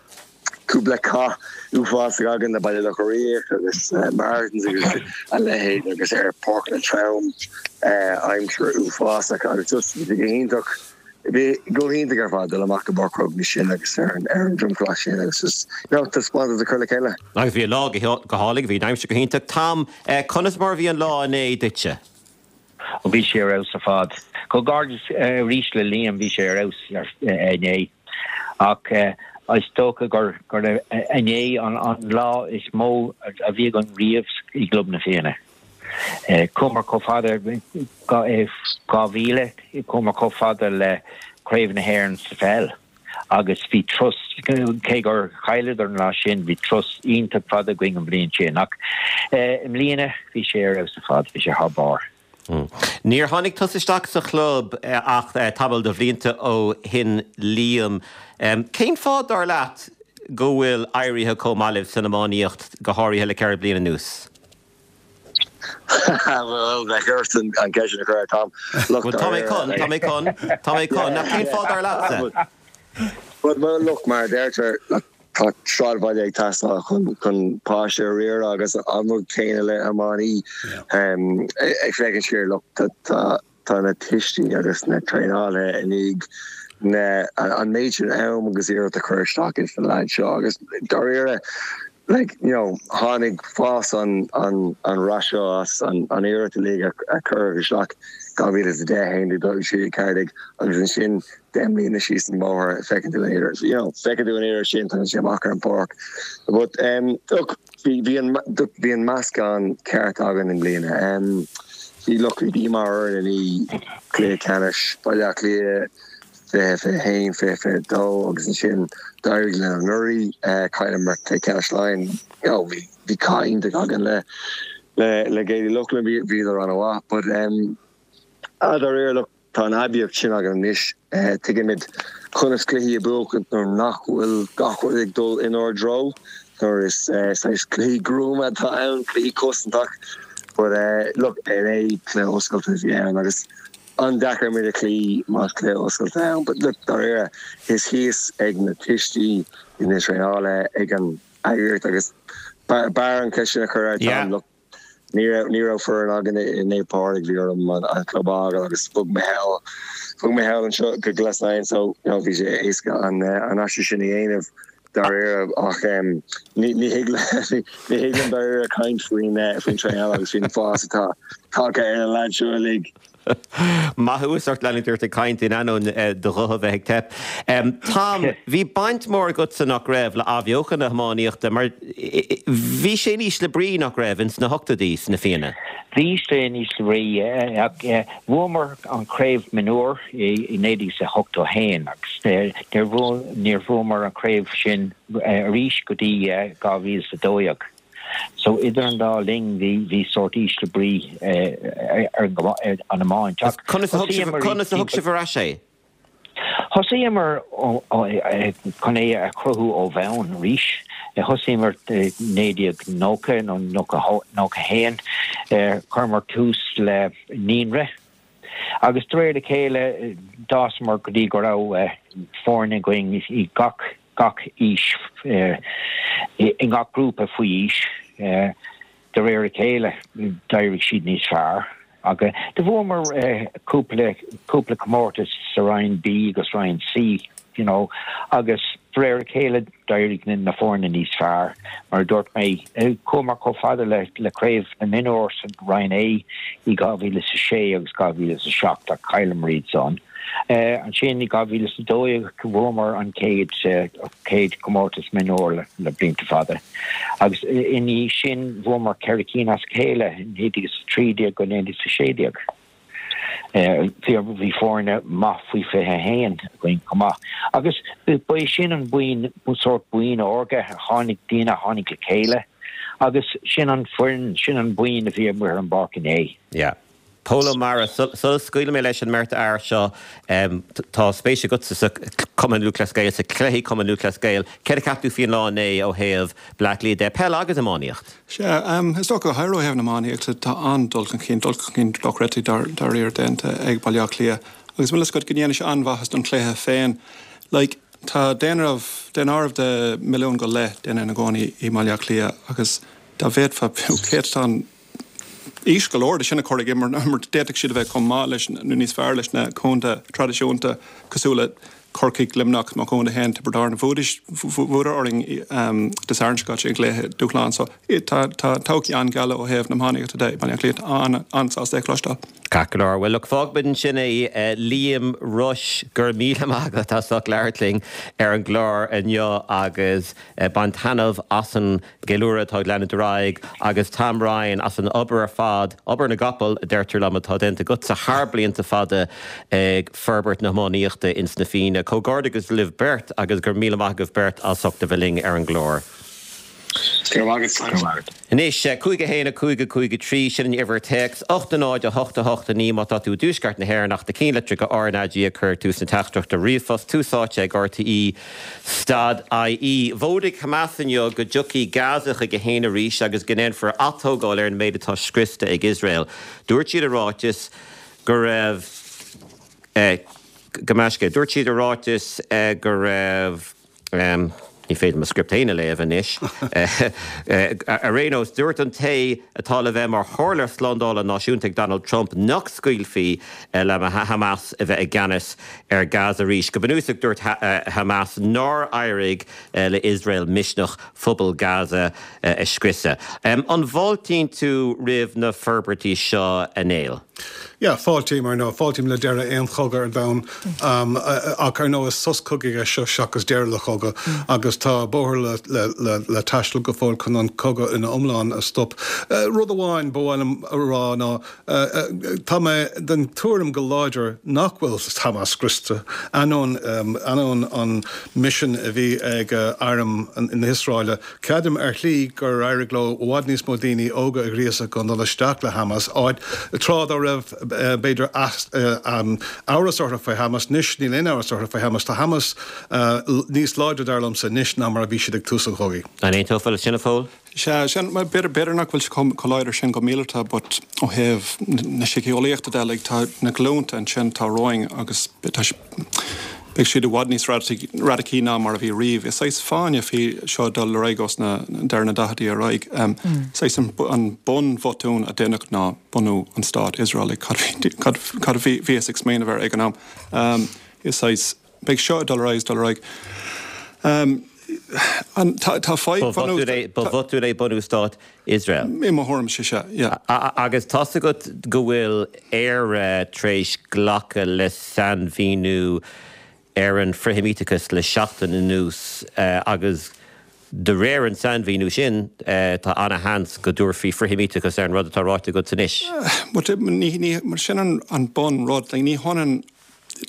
cúpla cath uafásach againn le Baile Locha Riach agus Martins agus a leithéid agus ar páirceanna trom, aimsir uafásach agus just bhí sé go hiontach. Bhí go hiontach ar fad dul amach go Páirc an Chrócaigh sin agus ar an dromchla sin agus just, you know, taispeántas a chur le chéile. Agus bhí an lá go hálainn, bhí an aimsir go hiontach. Tom, conas mar a bhí an lá inné duitse? Ó bhí sé ar fheabhas ar fad. Comhghairdeas arís le Liam, bhí sé ar fheabhas inné. Ach is dócha gur inné an lá is mó a bhí againn riamh i gClub na Fianna. Chuamar chomh fada, 2000, chuamar chomh fada le Craobh na hÉireann sa pheil agus bhí turas, cé gur chailleadar an lá sin, bhí turas iontach fada againn an bhliain sin. Ach i mbliana bhí sé ar fheabhas ar fad, bhí sé thar barr. Níor tháinig tusa isteach sa chlub ach tamall de bhlianta ó shin Liam. Cén fáth, dar leat, go bhfuil éirithe chomh maith libh san iománaíocht, go háirithe le 4 bliana anuas? Bhuel, bheadh ort an ceist sin a chur ar Tom. Bhuel, tá mé chun, tá mé chun, tá mé chun. Ach cén fáth dar leatsa? Bhuel, look, mar a deirtear, tá sráidbhaile ag teastáil chun páiste a riaradh agus an rud céanna le iománaí. Ag féachaint siar, look, tá Tá na tuistí agus na traenálaithe i ndiaidh na an méid sin am agus iarracht a chur isteach ins na leaids seo agus dáiríre like you know tháinig fás an an an rath seo as an an iarracht uilig a a cuireadh isteach 2010, 11, 12, 13, 14 agus ansin 10 mbliana síos an bóthar feiceann tú an iarracht you know feiceann tú an iarracht sin tagann sé amach ar an pháirc but um look Bhí, bhí an, bhí an meascán ceart againn i mbliana. Bhí, look, bhí díomá orainn i ndiaidh cluiche ceannais Baile Átha Cliath 20, 21, 20, 22 agus ansin d'éirigh linn anuraidh, chailleamar cluiche ceannais Laighean. You know, bhí, bhí cath iontach againn le, le, le Gaeil Uí Lochlainn, bhí, bhíodar an-mhaith. But, ah, dáiríre, look, Tá an aibíocht sin againn anois. Tuigimid conas cluichí a bhuachaint nuair nach bhfuil gach rud ag dul inár dtreo, nuair is saghas cluichí gruama atá ann, cluichí cosantach. But look, inné cluiche oscailte a bhí ann agus an-deacair muid a chloí más cluiche oscailte ann. But look, dáiríre, is thíos ag na tuistí, ag na traenálaithe, ag an eagraíocht agus b'fhearr an cheist sin a chur ar Tom. Look, Ní raibh, ní raibh foireann againn i Naomh Pádraig, bhí orm an club a fhágáil agus bhog mé thall, bhog mé thall anseo go Glas Laighean so you know bhí sé éasca an an aistriú sin a dhéanamh dáiríre ach ní ní thig ní thig liom dáiríre caint faoin faoin traenáil agus faoin fás atá tagtha ar na leaids seo uilig. Maith thú as ucht leanúint ort ag caint in ainneoin do ghuth a bheith ag teip. Tom, bhí baint mhór agatsa, nach raibh, le athbheochan na hiománaíochta mar bhí sé in ísle brí, nach raibh, ins na hochtóidí sna Fianna? Bhí sé in ísle brí. Bhuamar an chraobh mionúr i 1981 agus níor bhuamar an chraobh sin arís go dtí 2012. So idir an dá linn bhí bhí sórt ísle brí ar an iomáint. Ach conas a thug sibh conas a thug sibh ar ais é? Thosaíomar chun é a chruthú ó bhonn arís. Thosaíomar 1990 nó 91. Chuireamar tús le naíonra agus de réir a chéile d'fhásamar go dtí go raibh foirne againn i gach gach aois, i ngach grúpa faoi aois. De réir a chéile d'éirigh siad níos fearr agus do bhuamar cúpla cúpla comórtas sa Roinn B agus Roinn C you know agus de réir a chéile d'éirigh na foirne níos fearr. Mar a dúirt mé, chuamar chomh fada le le craobh na mionúr sa Roinn A i 2006 agus 2007 ach chailleamar iad san. Ansin i 2012 bhuamar an chéad chéad chomórtas mionúr le blianta fada agus ina dhiaidh sin bhuamar 4 cinn as a chéile i 1913 go 1916. Bhí foirne maith faoi 21 againn chomh maith agus ba é sin an buíon, sórt buíon órga a tháinig, daoine a tháinig le chéile agus sin an foireann, sin an buíon a bhí amuigh ar an bpáirc inné. Yeah. Pól Ó Meára, sula scaoilfidh mé leis an mbeirt fhear seo, tá spéis agatsa sa Chumann Lúthchleas Gael, sa chluichí Cumann Lúthchleas Gael. Céard a cheap tú faoin lá inné ó thaobh Bleá Cliath de, peil agus iománaíocht? Sea, is dócha go háirithe ó thaobh na iománaíochta, tá an-dul chun cinn, dul chun cinn dochreidte dáiríre déanta ag Baile Átha Cliath agus bhfuil fhios agat go ndéanann sé an-mhaitheas don chluiche féin. Like, tá daonáireamh, daonáireamh de mhilliún go leith duine ina gcónaí i mBaile Átha Cliath agus dá bhféadfá fiú céatadán íseal go leor de sin a chur ag imirt mar d'fhéadfadh siad a bheith chomh maith leis nó níos fearr leis na contaetha traidisiúnta cosúil le Corcaigh, Luimneach, mo chontae féin, Tiobraid Árann. Bhuadar orainn Dé Sathairn seo caite i gcluiche dúshláin so tá todhchaí an-gheal ó thaobh na hiománaíochta de i mBaile Átha Cliath. Tá an-sásta é a chloisteáil. Ceart go leor. Bhuel, look, fágfaimid ansin é. Liam Rushe, go raibh míle maith agat as ucht labhairt linn ar an gclár inniu agus bain taitneamh as an gceiliúradh atá ag leanúint ar aghaidh agus Tom Ryan as an obair ar fad, obair na gcapall a deirtear liom, atá déanta agatsa thar blianta fada ag forbairt na hiománaíochta ins na Fianna. Comhghairdeachas libh beirt agus go raibh míle maith agaibh beirt as ucht a bheith linn ar an gclár. Go raibh maith agat. Anois, 5 1 5 5 3, sin an uimhir téacs, 8 0 8 8 9 má tá tú i dtuaisceart na hÉireann ach do chinnlitreacha RnaG a chur ag tús na teachtaireachta ríomhphost, Tús Áite ag RTÉ stad IE. Mhódaigh Hamas inniu go dtiocfaidh Gaza chuige féin arís agus go ndéanfar atógáil ar an méid atá scriosta ag Iosrael. Dúirt siad i ráiteas go raibh go measctha. Dúirt siad i ráiteas go raibh. Ní féidir mo script féin a léamh anois. Ar aon nós, dúirt an té atá le bheith mar chomhairleoir slándála náisiúnta ag Donald Trump nach scaoilfí le Hamas a bheith i gceannas ar Gaza arís. Go bunúsach, dúirt Hamas nár éirigh le Iosrael misneach phobal Gaza a scriosadh. An bhfáiltíonn tú roimh na forbairtí seo, a Néill? Yeah, fáiltím, ar ndóigh. Fáiltím le deireadh aon chogadh ar domhan. Ach ar ndóigh is sos cogaidh é seo seachas deireadh le cogadh. Agus tá bóthar le taisteal go fóill chun an cogadh ina iomlán a stop. Rud amháin ba mhaith liom a rá ná tá mé den tuairim go láidir nach bhfuil Hamas scriosta, ainneoin ainneoin an misean a bhí ag arm na hIosraeile. Creidim ar shlí gur éirigh leo i bhfad níos mó daoine óga a ghríosadh chun dul isteach le Hamas, áit, tráth dá raibh, b'fhéidir, amhras orthu faoi Hamas. Anois níl aon amhras orthu faoi Hamas. Tá Hamas níos láidre, dar liomsa, anois ná mar a bhí siad ag tús an chogaidh. An aontófá leis sin, a Phóil? Sea, sin, b'fhéidir nach bhfuil sé chomh láidir sin go míleata but ó thaobh na síceolaíochta de, like, tá na glúnta ansin atá romhainn agus tá Beidh siad i bhfad níos radacaí ná mar a bhí riamh. Is saghas fáinne fí seo dul ar aghaidh ós na deireadh na daicheadaí ar aghaidh. Saghas an bunbhotún a deineadh ná bunú an stát Iosrael. Cad a bhíothas ag smaoineamh air ag an am? Is saghas, beidh seo ag dul ar aghaidh is dul ar aghaidh. Tá fadhb bhunúsach. Ba bhotún é bunú stát Iosrael. I mo thuairimse, sea, yeah. Agus tá's agat go bhfuil Éire tar éis glacadh le sainmhíniú ar an frithsheimíteachas le seachtain anuas agus de réir an sainmhíniú sin tá ana-sheans go dtabharfaí frithsheimíteachas ar an rud atá ráite agat anois. But ní, sin an bun rud, ní hionann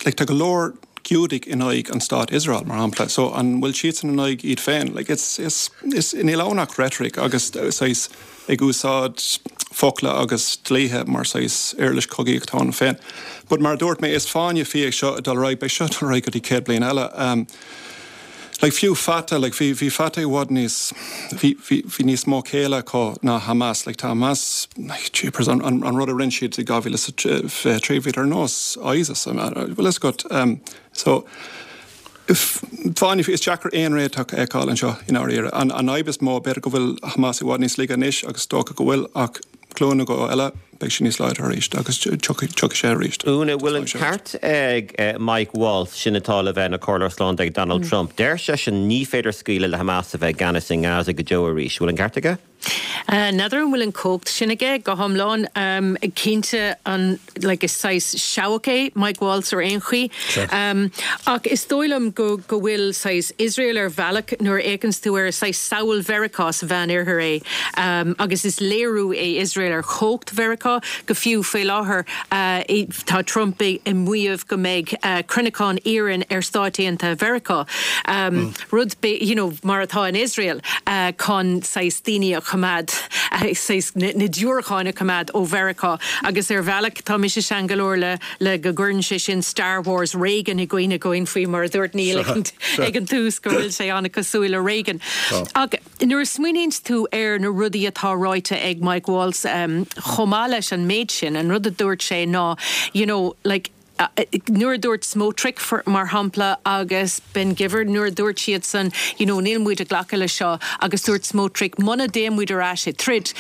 Like tá go leor Giúdaigh in aghaidh an stát Iosrael, mar shampla, so an bhfuil siadsan in aghaidh iad féin? Like it's, it's, it's, níl ann ach rhetoric agus saghas ag úsáid focla agus dlíthe mar saghas uirlis cogaíochta ann féin. But mar a dúirt mé, is fáinne fí é seo ag dul ar aghaidh, beidh seo ag dul ar aghaidh go dtí 100 bliain eile. Um, Like fiú Fatah, like bhí, bhí Fatah i bhfad níos, bhí, bhí, bhí níos mó céille acu ná Hamas. Like tá Hamas, like jeepers, an, an, an rud a rinne siad i 2023, bhíodar ar nós ISIS, bhfuil fhios agat. Um, so, fáinne fí, is deacair aon réiteach a fheiceáil anseo i ndáiríre. An, an fhadhb is mó, b'fhéidir go bhfuil Hamas i bhfad níos laige anois agus is dócha go bhfuil, ach glúin nó dhó eile, beidh sé níos láidre arís agus tiocfaidh sé arís. Úna, bhfuil an ceart ag Mike Waltz, sin atá le bheith ina chomhairleoir slándála ag Donald Trump, deir seisean ní féidir scaoileadh le Hamas a bheith i gceannas i nGaza go deo arís. Bhfuil an ceart aige? N'fheadar an bhfuil an chumhacht sin aige go hiomlán. Cinnte an like is saghas seabhac é Mike Waltz ar aon chaoi. Ach is dóigh liom go go bhfuil saghas Iosrael ar bhealach nuair a fhéachanns tú air is saghas samhail Mheiriceá sa Mheán Oirthear é agus is léiriú é Iosrael ar chumhacht Mheiriceá go fiú faoi láthair tá Trump ag maíomh go mbeidh cruinneachán iarainn ar Stáit Aontaithe Mheiriceá. Rud you know mar atá in Iosrael chun saghas daoine a choimeád saghas na diúracáin a choimeád ó Mheiriceá agus ar bhealach tá mise sean go leor le le go gcuireann sé sin Star Wars Reagan i gcuimhne dhúinn faoi mar a dúirt Niall ag an ag an tús go bhfuil sé an-chosúil le Reagan. Ach nuair a smaoiníonns tú ar na rudaí atá ráite ag Mike Waltz chomh maith leis an méid sin, an rud a dúirt sé ná you know like Nuair a dúirt Smotrich, mar shampla, agus Ben Gvir, nuair a dúirt siadsan, you know, níl muid ag glacadh leis seo, agus dúirt Smotrich, muna dtéann muid ar ais ag troid,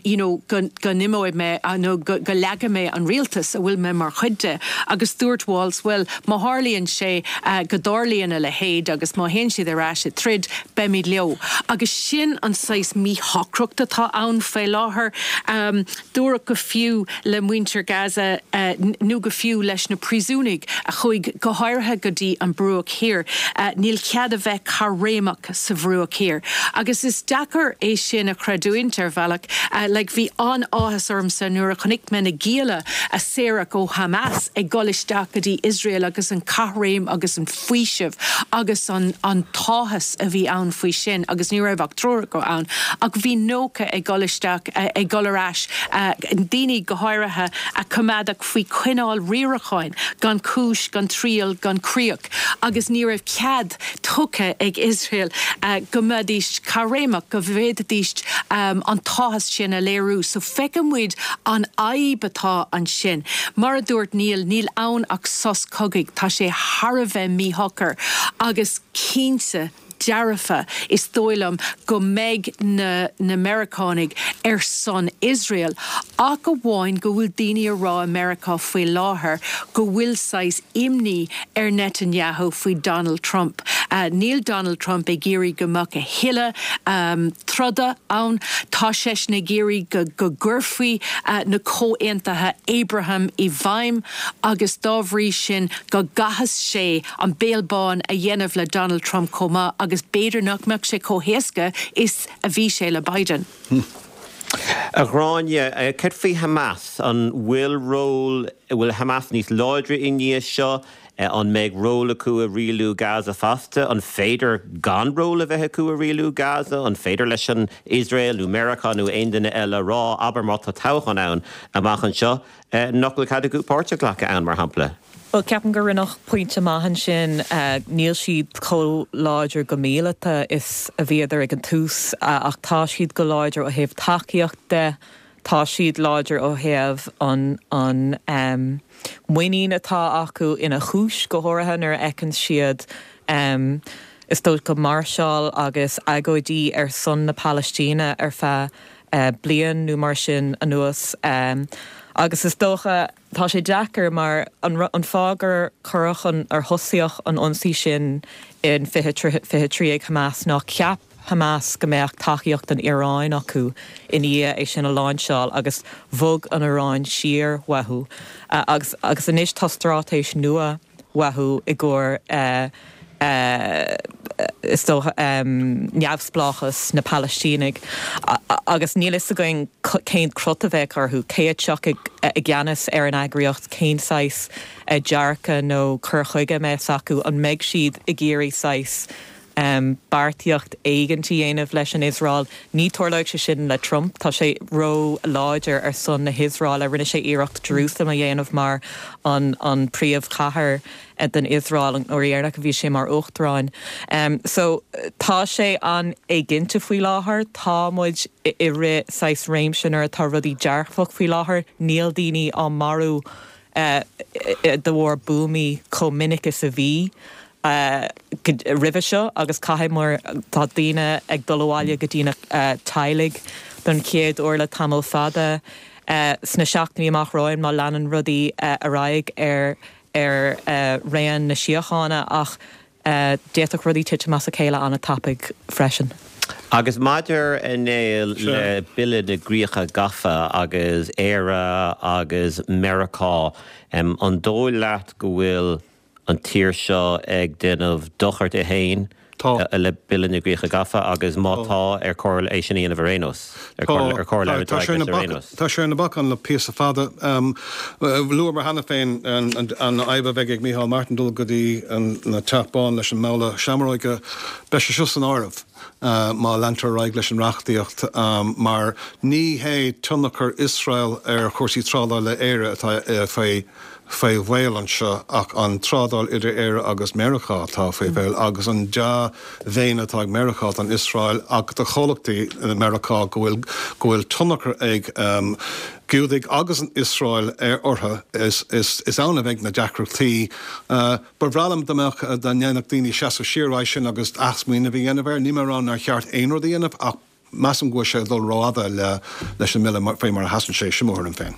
you know, go, go n-imeoidh mé, nó go, go leagfaidh mé an rialtas a bhfuil mé mar chuid de. Agus dúirt Waltz, bhuel, má tharlaíonn sé, go dtarlaíonn a leithéid agus má théann siad ar ais ag troid, beimid leo. Agus sin an saghas míshocracht atá ann fé láthair. Dúradh go fiú le muintir Gaza nó go fiú leis. leis na príosúnaigh a chuaigh go háirithe go dtí an Bruach Thiar. Níl cead a bheith caithréimeach sa Bhruach Thiar. Agus is deacair é sin a chreidiúint ar bhealach. Like bhí an-áthas ormsa nuair a chonaic mé na gialla a saoradh ó Hamas ag dul isteach go dtí Iosrael agus an chaithréim agus an faoiseamh agus an an t-áthas a bhí ann faoi sin agus ní raibh ach triúr acu ann ach bhí 90 ag dul isteach, ag dul ar ais, daoine go háirithe a coimeádadh faoi choinneáil riaracháin gan chúis, gan triail, gan críoch agus ní raibh cead tugtha ag Iosrael go mbeidís caithréimeach, go bhféadfaidís an t-áthas sin a léiriú. So feiceann muid an fhadhb atá ansin. Mar a dúirt Niall, níl ann ach sos cogaidh, tá sé thar a bheith míshocair agus cinnte dearfa, is dóigh liom, go mbeidh na na Meiriceánaigh ar son Iosrael, ach amháin go bhfuil daoine a rá i Meiriceá faoi láthair go bhfuil saghas imní ar Netanyahu faoi Donald Trump. Níl Donald Trump ag iarraidh go mbeadh a thuilleadh troda ann. Tá seisean ag iarraidh go go gcuirfí na comhaontuithe Abraham i bhfeidhm agus dá bhrí sin go gcaithfeas sé an béal bán a dhéanamh le Donald Trump chomh maith agus b'fhéidir nach mbeadh sé chomh héasca is a bhí sé le Biden. A Ghráinne, céard faoi Hamas? An bhfuil ról, bhfuil Hamas níos láidre i ndiaidh seo? An mbeidh ról acu i rialú Gaza feasta? An féidir gan ról a bheith acu i rialú Gaza? An féidir leis an Iosrael nó Meiriceá nó aon duine eile a rá, abair má tá toghchán ann amach anseo, nach bhfuil cead acu páirt a ghlacadh ann, mar shampla? Bhuel, ceapaim gur rinneadh pointe maith ansin. Níl siad chomh láidir go míleata is a bhíodar ag an tús ach tá siad go láidir ó thaobh tacaíocht de. Tá siad láidir ó thaobh an an muinín atá acu ina chúis, go háirithe nuair a fheiceann siad is dócha máirseáil agus agóidí ar son na Palaistíne ar feadh bliain nó mar sin anuas. Agus is dócha. Tá sé deacair mar an fáth gur cuireadh an, ar thosaíodh an ionsaí sin in 2023 ag Hamas ná cheap Hamas go mbeadh tacaíocht an Iaráin acu i ndiaidh é sin a láinseáil agus bhog an Iaráin siar uathu agus agus anois tá straitéis nua uathu i gcomhair is dócha, neamhspleáchas na Palaistínigh agus níl fhios againn cén crot a bheadh orthu, cé a tiocfaidh i gceannas ar an eagraíocht, cén saghas dearcadh nó cur chuige a mbeas acu, an mbeidh siad ag iarraidh saghas beartaíocht éigint a dhéanamh leis an Iosrael. Ní tarlóidh sé sin le Trump, tá sé ró-láidir ar son na hIosraeile. Rinne sé iarracht Jerusalem a dhéanamh mar an an príomhchathair den Iosrael an uair dheireanach a bhí sé mar uachtarán. So tá sé an-éiginnte faoi láthair. Tá muid i rith saghas réimse nuair atá rudaí dearfach faoi láthair. Níl daoine á marú de bharr buamaí chomh minic is a bhí roimhe seo agus caithfidh mar tá daoine ag dul abhaile go dtí na teaghlaigh don chéad uair le tamall fada sna seachtainí amach romhainn má leanann rudaí ar aghaidh ar ar raon na síochána ach d'fhéadfadh rudaí titim as a chéile an-tapaidh freisin. Agus maidir, a Néill, le Bille na gCríocha Gafa agus Éire agus Meiriceá, an dóigh leat go bhfuil an tír seo ag déanamh dochar di féin le Bille na gCríocha Gafa agus má tá, ar chóir é sin a dhéanamh ar aon nós? Ar chóir labhairt ar aghaidh leis ar aon nós? Tá sé ar na bacáin le píosa fada. Luamar cheana féin an fhadhb a bheidh ag Micheál Martin dul go dtí an Teach Bán leis an mbabhla seamróige. Beidh sé seo san áireamh má leantar ar aghaidh leis an reachtaíocht mar ní hé tionchar Iosrael ar chúrsaí trádála Éire atá faoi faoi bhaol anseo ach an trádáil idir Éire agus Meiriceá atá faoi bhaol agus an dea-mhéin atá ag Meiriceá don Iosrael ach do chomhlachtaí i Meiriceá go bhfuil go bhfuil tionchar ag Giúdaigh agus an Iosrael ar orthu is is is ann a bheidh na deacrachtaí. Ba bhreá liom dá mbeadh dá ndéanfadh daoine seasamh siar uaidh sin agus athsmaoineamh a dhéanamh air. Níl mé ag rá nár cheart aon rud a dhéanamh ach Measaim go bhfuil sé ag dul rófhada leis an mBille faoi mar a sheasann sé, sin mo thuairim féin.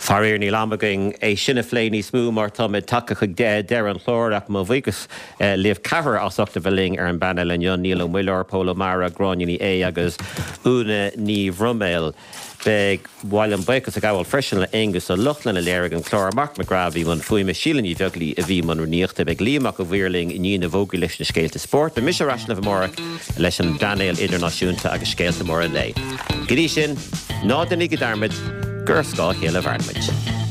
Faraor níl am againn é sin a phlé níos mó mar táimid tagtha chuig deireadh an chláir ach mo bhuíochas libh ceathrar as ucht a bheith linn ar an bpainéal inniu, Niall Ó Muilleoir, Pól Ó Meára, Gráinne Ní Aodha agus Úna Ní Bhroiméil. Ba mhaith liom buíochas a ghabháil freisin le Aonghus Ó Lochlainn a léirigh an clár, Marc Mac Grath a bhí i mbun fuaime, Síle Ní Bheaglaoi a bhí i mbun rúnaíochta. Beidh Liam Mac a' Mhaoir linn i ndiaidh na bhfógraí leis na scéalta spóirt. Beidh mise ar ais libh amárach leis an bpainéal idirnáisiúnta agus scéalta móra an lae. Go dtí sin, ná déanaigí dearmad gur ar scáth a chéile a mhaireann muid.